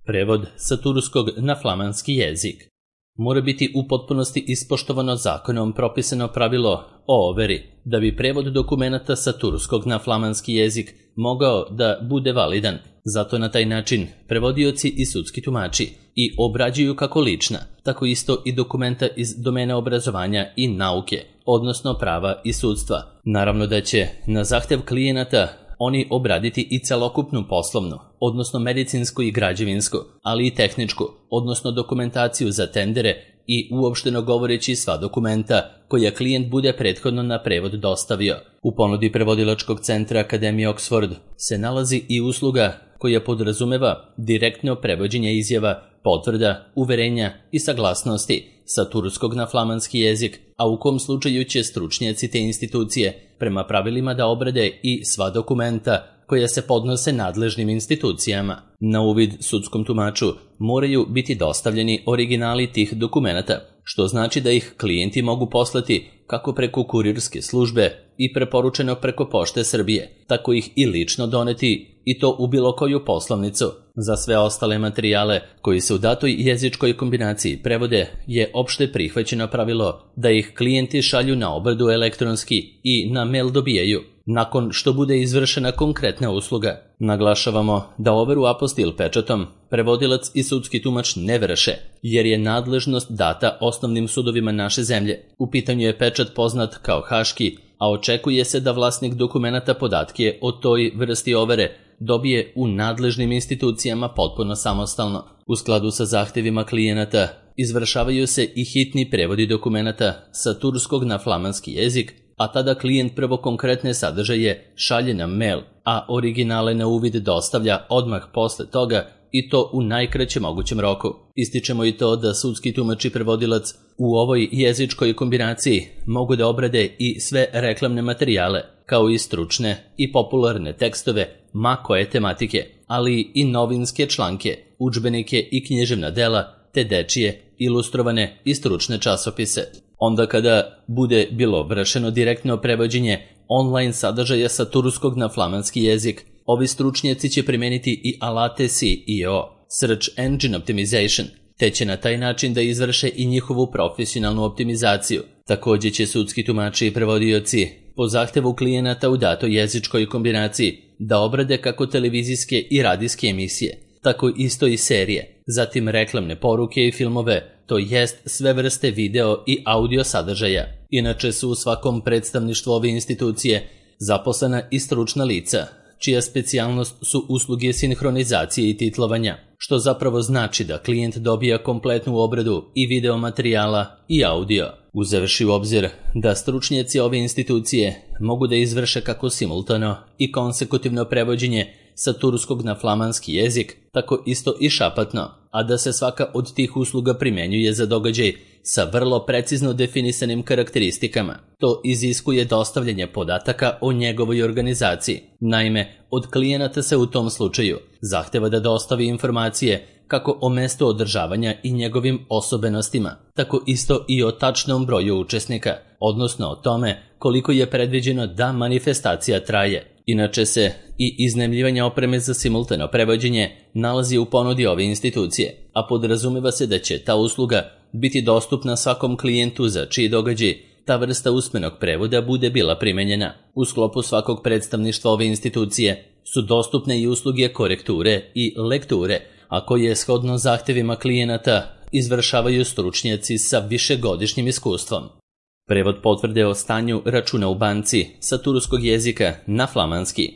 Prevod sa turskog na flamanski jezik. Mora biti u potpunosti ispoštovano zakonom propisano pravilo o overi, da bi prevod dokumenata sa turskog na flamanski jezik mogao da bude validan. Zato na taj način prevodioci i sudski tumači i obrađuju kako lična, tako isto i dokumenta iz domena obrazovanja i nauke, odnosno prava i sudstva. Naravno da će na zahtev klijenata oni obraditi i celokupnu poslovnu, odnosno medicinsku i građevinsku, ali i tehničku, odnosno dokumentaciju za tendere i uopšteno govoreći sva dokumenta koja klijent bude prethodno na prevod dostavio. U ponudi prevodilačkog centra Akademije Oxford se nalazi i usluga koja podrazumeva direktno prevođenje izjava, potvrda, uverenja i saglasnosti sa turskog na flamanski jezik, a u kom slučaju će stručnjaci te institucije prema pravilima da obrade i sva dokumenta koja se podnose nadležnim institucijama. Na uvid sudskom tumaču moraju biti dostavljeni originali tih dokumenata, što znači da ih klijenti mogu poslati kako preko kurirske službe i preporučeno preko Pošte Srbije, tako ih i lično doneti i to u bilo koju poslovnicu. Za sve ostale materijale koji se u datoj jezičkoj kombinaciji prevode je opšte prihvaćeno pravilo da ih klijenti šalju na obradu elektronski i na mail dobijaju, nakon što bude izvršena konkretna usluga. Naglašavamo da overu apostil pečatom prevodilac i sudski tumač ne vrše, jer je nadležnost data osnovnim sudovima naše zemlje. U pitanju je pečat poznat kao haški, a očekuje se da vlasnik dokumenata podatke o toj vrsti overe dobije u nadležnim institucijama potpuno samostalno. U skladu sa zahtevima klijenata izvršavaju se i hitni prevodi dokumenata sa turskog na flamanski jezik, a tada klijent prvo konkretne sadržaje šalje na mail, a originale na uvid dostavlja odmah posle toga i to u najkraćem mogućem roku. Ističemo i to da sudski tumač i prevodilac u ovoj jezičkoj kombinaciji mogu da obrade i sve reklamne materijale, kao i stručne i popularne tekstove ma koje tematike, ali i novinske članke, udžbenike i književna dela, te dečije, ilustrovane i stručne časopise. Onda kada bude bilo vršeno direktno prevođenje online sadržaja sa turskog na flamanski jezik, ovi stručnjaci će primeniti i alate SEO, Search Engine Optimization, te će na taj način da izvrše i njihovu profesionalnu optimizaciju. Također će sudski tumači i prevodioci po zahtevu klijenata u datoj jezičkoj kombinaciji da obrade kako televizijske i radijske emisije, tako isto i serije, zatim reklamne poruke i filmove, to jest sve vrste video i audio sadržaja. Inače su u svakom predstavništvu ove institucije zaposlena i stručna lica, čija specijalnost su usluge sinhronizacije i titlovanja, što zapravo znači da klijent dobija kompletnu obradu i video materijala i audio. Uzevši u obzir da stručnjaci ove institucije mogu da izvrše kako simultano i konsekutivno prevođenje sa turskog na flamanski jezik, tako isto i šapatno, a da se svaka od tih usluga primenjuje za događaj sa vrlo precizno definisanim karakteristikama. To iziskuje dostavljanje podataka o njegovoj organizaciji. Naime, od klijenata se u tom slučaju zahteva da dostavi informacije kako o mestu održavanja i njegovim osobenostima, tako isto i o tačnom broju učesnika, odnosno o tome koliko je predviđeno da manifestacija traje. Inače se i iznajmljivanje opreme za simultano prevođenje nalazi u ponudi ove institucije, a podrazumeva se da će ta usluga biti dostupna svakom klijentu za čiji događaj ta vrsta usmenog prevoda bude bila primenjena. U sklopu svakog predstavništva ove institucije su dostupne i usluge korekture i lekture, a koje shodno zahtevima klijenata izvršavaju stručnjaci sa višegodišnjim iskustvom. Prevod potvrde o stanju računa u banci sa turskog jezika na flamanski.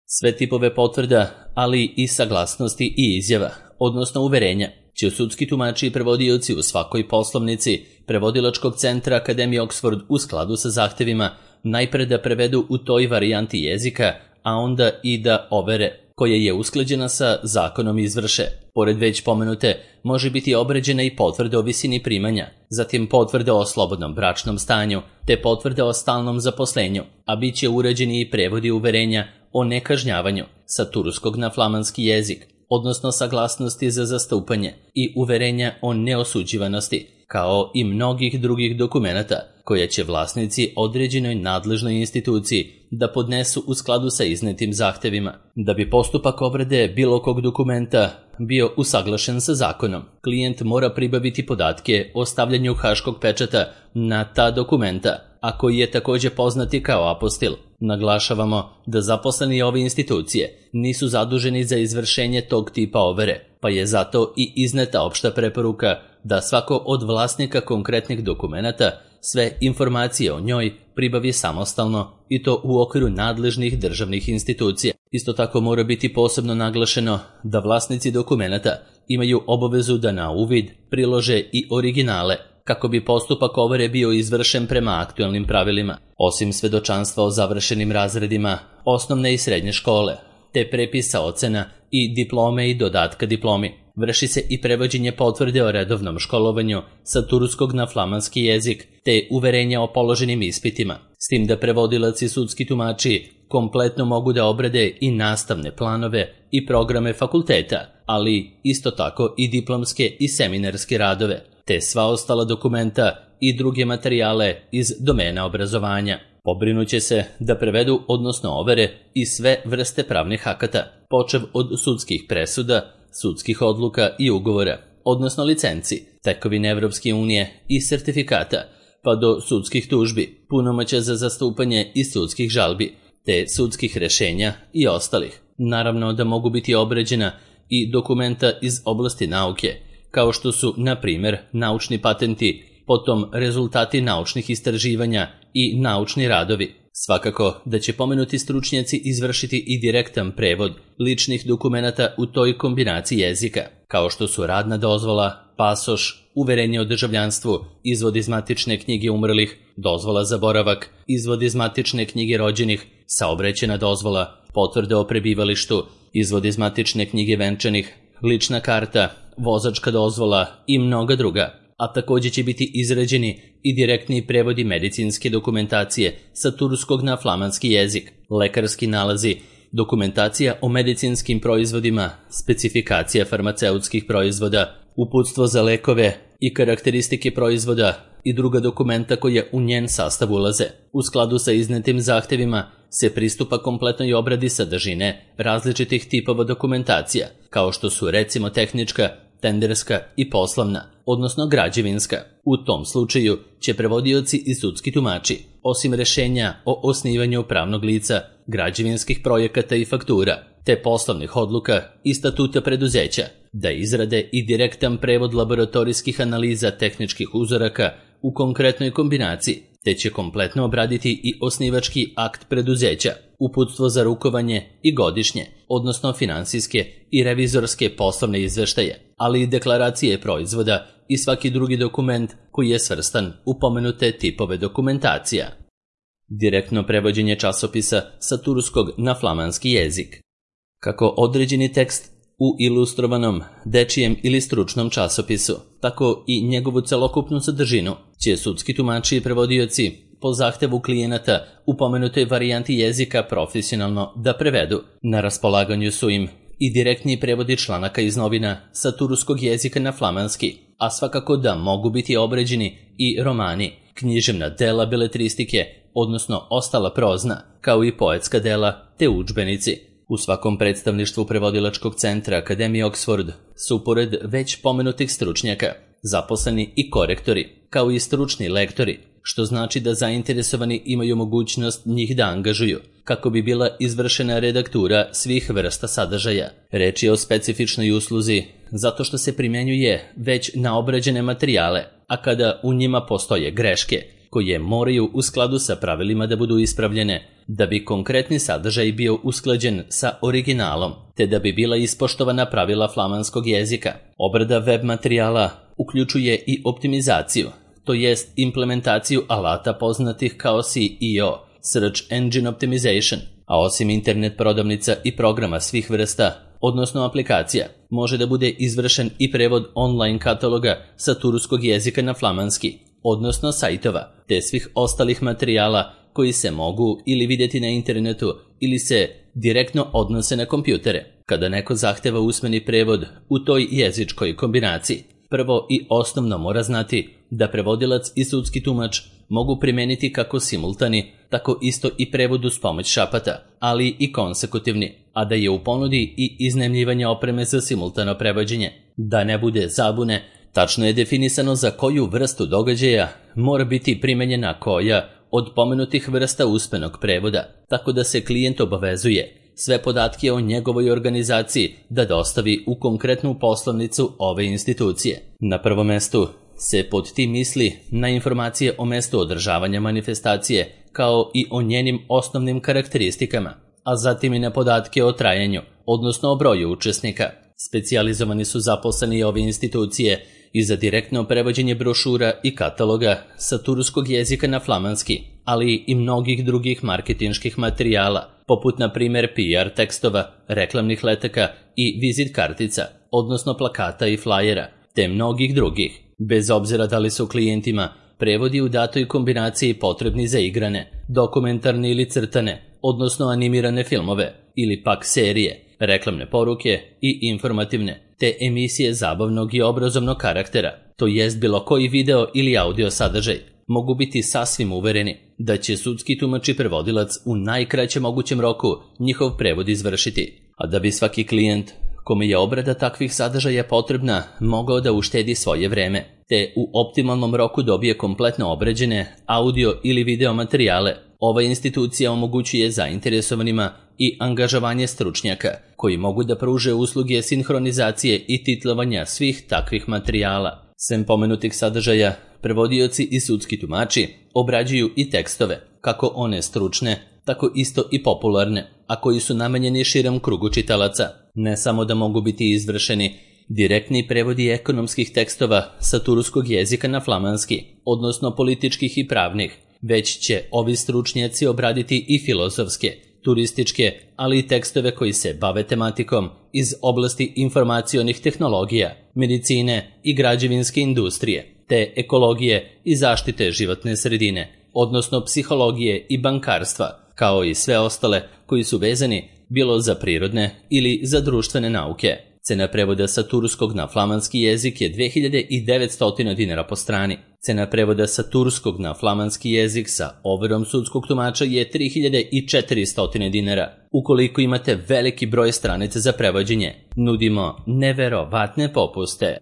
Sve tipove potvrda, ali i saglasnosti i izjava, odnosno uverenja, će sudski tumači i prevodioci u svakoj poslovnici prevodilačkog centra Akademije Oxford u skladu sa zahtevima najpre da prevedu u toj varijanti jezika, a onda i da overe, koja je usklađena sa zakonom izvrše. Pored već pomenute, može biti obređena i potvrda o visini primanja, zatim potvrda o slobodnom bračnom stanju, te potvrda o stalnom zaposlenju, a bit će uređeni i prevodi uverenja o nekažnjavanju sa turskog na flamanski jezik, odnosno saglasnosti za zastupanje i uverenja o neosuđivanosti, kao i mnogih drugih dokumenata koja će vlasnici određenoj nadležnoj instituciji da podnesu u skladu sa iznetim zahtevima. Da bi postupak obrade bilo kog dokumenta bio usaglašen sa zakonom, klijent mora pribaviti podatke o stavljanju haškog pečata na ta dokumenta, a koji je također poznati kao apostil. Naglašavamo da zaposleni ove institucije nisu zaduženi za izvršenje tog tipa overe, pa je zato i izneta opšta preporuka da svako od vlasnika konkretnih dokumenata sve informacije o njoj pribavi samostalno i to u okviru nadležnih državnih institucija. Isto tako mora biti posebno naglašeno da vlasnici dokumenata imaju obavezu da na uvid prilože i originale kako bi postupak overe bio izvršen prema aktualnim pravilima. Osim svedočanstva o završenim razredima osnovne i srednje škole, te prepisa ocena i diplome i dodatka diplomi, vrši se i prevođenje potvrde o redovnom školovanju sa turskog na flamanski jezik, te uverenja o položenim ispitima, s tim da prevodilac i sudski tumači kompletno mogu da obrade i nastavne planove i programe fakulteta, ali isto tako i diplomske i seminarske radove, te sva ostala dokumenta i druge materijale iz domena obrazovanja. Pobrinuće se da prevedu, odnosno overe, i sve vrste pravnih akata, počev od sudskih presuda, sudskih odluka i ugovora, odnosno licenci, tekovine Evropske unije i sertifikata, pa do sudskih tužbi, punomoćja za zastupanje i sudskih žalbi, te sudskih rešenja i ostalih. Naravno da mogu biti obrađena i dokumenta iz oblasti nauke, kao što su, na primjer, naučni patenti, potom rezultati naučnih istraživanja i naučni radovi. Svakako da će pomenuti stručnjaci izvršiti i direktan prevod ličnih dokumenata u toj kombinaciji jezika, kao što su radna dozvola, pasoš, uverenje o državljanstvu, izvod iz matične knjige umrlih, dozvola za boravak, izvod iz matične knjige rođenih, saobraćajna dozvola, potvrda o prebivalištu, izvod iz matične knjige venčanih, lična karta, vozačka dozvola i mnoga druga. A također će biti izrađeni i direktni prevodi medicinske dokumentacije sa turskog na flamanski jezik, lekarski nalazi, dokumentacija o medicinskim proizvodima, specifikacija farmaceutskih proizvoda, uputstvo za lekove i karakteristike proizvoda i druga dokumenta koja u njen sastav ulaze. U skladu sa iznetim zahtevima se pristupa kompletnoj obradi sadržine različitih tipova dokumentacija, kao što su recimo tehnička, tenderska i poslovna, odnosno građevinska. U tom slučaju će prevodioci i sudski tumači, osim rešenja o osnivanju pravnog lica, građevinskih projekata i faktura, te poslovnih odluka i statuta preduzeća, da izrade i direktan prevod laboratorijskih analiza tehničkih uzoraka u konkretnoj kombinaciji, te će kompletno obraditi i osnivački akt preduzeća, uputstvo za rukovanje i godišnje, odnosno finansijske i revizorske poslovne izveštaje, ali i deklaracije proizvoda i svaki drugi dokument koji je svrstan u pomenute tipove dokumentacija. Direktno prevođenje časopisa sa turskog na flamanski jezik. Kako određeni tekst u ilustrovanom, dečijem ili stručnom časopisu, tako i njegovu celokupnu sadržinu će sudski tumači i prevodioci po zahtevu klijenata u pomenutoj varijanti jezika profesionalno da prevedu. Na raspolaganju su im i direktni prevodi članaka iz novina sa turskog jezika na flamanski, a svakako da mogu biti obrađeni i romani, književna dela beletristike, odnosno ostala prozna, kao i poetska dela te udžbenici. U svakom predstavništvu prevodilačkog centra Akademije Oxford su pored već pomenutih stručnjaka zaposleni i korektori, kao i stručni lektori, što znači da zainteresovani imaju mogućnost njih da angažuju, kako bi bila izvršena redaktura svih vrsta sadržaja. Reč je o specifičnoj usluzi, zato što se primjenjuje već na obrađene materijale, a kada u njima postoje greške, koje moraju u skladu sa pravilima da budu ispravljene, da bi konkretni sadržaj bio usklađen sa originalom, te da bi bila ispoštovana pravila flamanskog jezika. Obrada web materijala uključuje i optimizaciju, to jest implementaciju alata poznatih kao SEO, Search Engine Optimization, a osim internet prodavnica i programa svih vrsta, odnosno aplikacija, može da bude izvršen i prevod online kataloga sa turskog jezika na flamanski, odnosno sajtova, te svih ostalih materijala koji se mogu ili vidjeti na internetu ili se direktno odnose na kompjutere. Kada neko zahteva usmeni prevod u toj jezičkoj kombinaciji, prvo i osnovno mora znati da prevodilac i sudski tumač mogu primeniti kako simultani, tako isto i prevod uz pomoć šapata, ali i konsekutivni, a da je u ponudi i iznajmljivanje opreme za simultano prevođenje. Da ne bude zabune, tačno je definisano za koju vrstu događaja mora biti primenjena koja od pomenutih vrsta usmenog prevoda, tako da se klijent obavezuje sve podatke o njegovoj organizaciji da dostavi u konkretnu poslovnicu ove institucije. Na prvom mestu se pod tim misli na informacije o mestu održavanja manifestacije, kao i o njenim osnovnim karakteristikama, a zatim i na podatke o trajanju, odnosno o broju učesnika. Specijalizovani su zaposleni ove institucije i za direktno prevođenje brošura i kataloga sa turskog jezika na flamanski, ali i mnogih drugih marketinških materijala, poput na primjer PR tekstova, reklamnih letaka i vizit kartica, odnosno plakata i flajera, te mnogih drugih, bez obzira da li su klijentima prevodi u datoj kombinaciji potrebni za igrane, dokumentarne ili crtane, odnosno animirane filmove, ili pak serije, reklamne poruke i informativne, te emisije zabavnog i obrazovnog karaktera, to jest bilo koji video ili audio sadržaj, mogu biti sasvim uvereni da će sudski tumač i prevodilac u najkraćem mogućem roku njihov prevod izvršiti, a da bi svaki klijent kome je obrada takvih sadržaja potrebna mogao da uštedi svoje vreme, te u optimalnom roku dobije kompletno obrađene audio ili video materijale. Ova institucija omogućuje zainteresovanima i angažovanje stručnjaka koji mogu da pruže usluge sinhronizacije i titlovanja svih takvih materijala. Sem pomenutih sadržaja, prevodioci i sudski tumači obrađuju i tekstove, kako one stručne, tako isto i popularne, a koji su namenjeni širem krugu čitalaca. Ne samo da mogu biti izvršeni direktni prevodi ekonomskih tekstova sa turskog jezika na flamanski, odnosno političkih i pravnih, već će ovi stručnjaci obraditi i filozofske, turističke, ali i tekstove koji se bave tematikom iz oblasti informacionih tehnologija, medicine i građevinske industrije, te ekologije i zaštite životne sredine, odnosno psihologije i bankarstva, kao i sve ostale koji su vezani bilo za prirodne ili za društvene nauke. Cena prevoda sa turskog na flamanski jezik je 2900 dinara po strani. Cena prevoda sa turskog na flamanski jezik sa overom sudskog tumača je 3400 dinara. Ukoliko imate veliki broj stranica za prevođenje, nudimo neverovatne popuste.